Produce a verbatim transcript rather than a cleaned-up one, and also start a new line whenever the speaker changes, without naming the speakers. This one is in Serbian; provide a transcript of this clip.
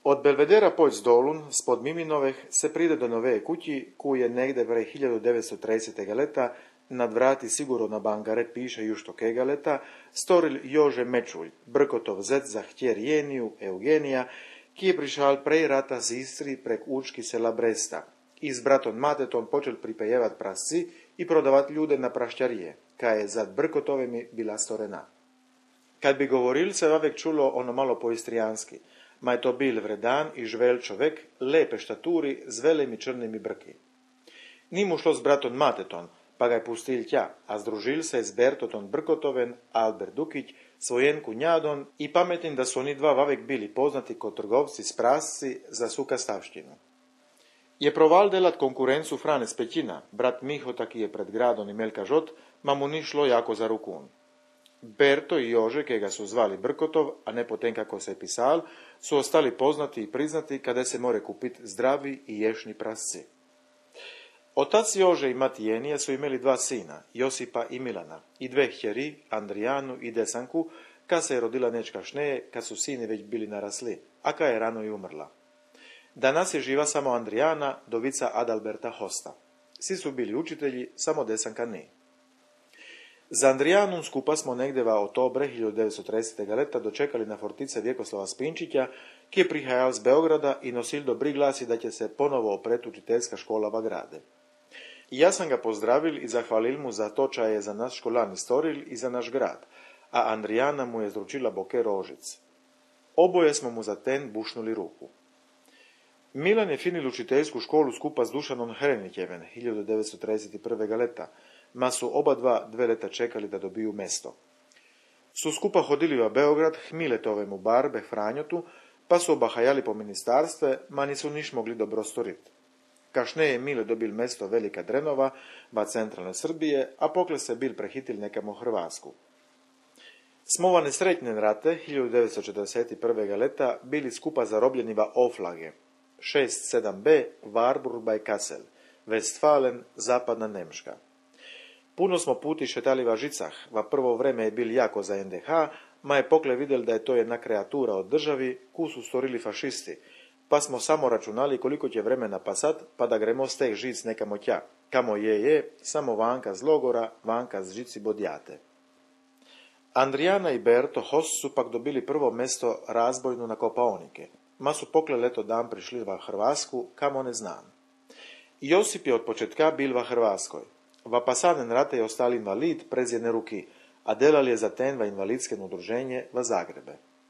Od Belvedera poć dolun, spod Miminoveh, se pride do nove kući, kuj je negde vrej hiljadu devetsto tridesetega leta, nad vrati sigurno na bangare piše jušto kega leta, storil Jože Mečulj, Brkotov zet za htjer Jeniju, Eugenija, ki je prišal prej rata z Istri prek učki sela Bresta i s bratom Matetom počel pripejevat prasci i prodavat ljude na prašćarije, kaj je zad Brkotovemi bila storena. Kad bi govoril, se vavek čulo ono malo po istrijanski, ma je to bil vredan i žvel čovek, lepe štaturi, z velimi črnimi brki. Ni mu šlo s bratom Matetom, pa ga je pustil tja, a združil se s Bertotom Brkotoven, Albert Dukić, svojen kunjadon i pametin da su oni dva vavek bili poznati kod trgovci s prasci za sukastavštinu. Je proval delat konkurencu Frane Spećina, brat Mihota ki je pred gradom imel kažot, ma mu ni šlo jako za rukun. Berto i Jože, kega su zvali Brkotov, a ne potem kako se je pisal, su ostali poznati i priznati kada se more kupiti zdravi i ješni prasci. Otac Jože i mati Jenija su imeli dva sina, Josipa i Milana, i dve hćeri, Andrijanu i Desanku, kad se je rodila nečka šneje, kad su sini već bili narasli, a kad je rano i umrla. Danas je živa samo Andrijana, dovica Adalberta Hosta. Svi su bili učitelji, samo Desanka ne. Za Andrijanum skupa smo negdeva otobre hiljadu devetsto tridesetega leta dočekali na fortice Vjekoslava Spinčića, ki je prihajal z Beograda i nosil dobri glasi da će se ponovo opret učiteljska škola v grade. I ja sam ga pozdravil i zahvalil mu za to ča je za nas školani storil i za naš grad, a Andrijana mu je zručila boke rožic. Oboje smo mu za ten bušnuli ruku. Milan je finil učiteljsku školu skupa s Dušanom Hrenićeven hiljadu devetsto trideset prvega leta, ma su oba dva dve leta čekali da dobiju mesto. Su skupa hodili v Beograd Hmiletovemu barbe Franjotu, pa su obahajali po ministarstve, ma nisu niš mogli dobro storit. Kašne je Mile dobil mesto Velika Drenova, va centralne Srbije, a pokle se bil prehitil nekamo Hrvatsku. Smovane sretnjen rate hiljadu devetsto četrdeset prvega leta bili skupa zarobljeni va Oflage, šest sedam be, Warburg bei Kassel, Westfalen, zapadna Nemška. Puno smo puti šetali va žicah, va prvo vreme je bil jako za en de ha, ma je pokle vidjel da je to jedna kreatura od državi, ku su storili fašisti, pa smo samo računali koliko će vremena pasat, pa da gremo s teh žic nekamo tja. Kamo je je, samo vanka z logora, vanka z žici bodjate. Andrijana i Berto Host su pak dobili prvo mesto razbojnu na Kopaonike, ma su pokle leto dan prišli va Hrvatsku, kamo ne znam. Josip je od početka bil va Hrvatskoj. Va pasaden rate je ostali invalid prez jedne ruki, a delal je za ten va invalidskem udruženje va Zagrebe.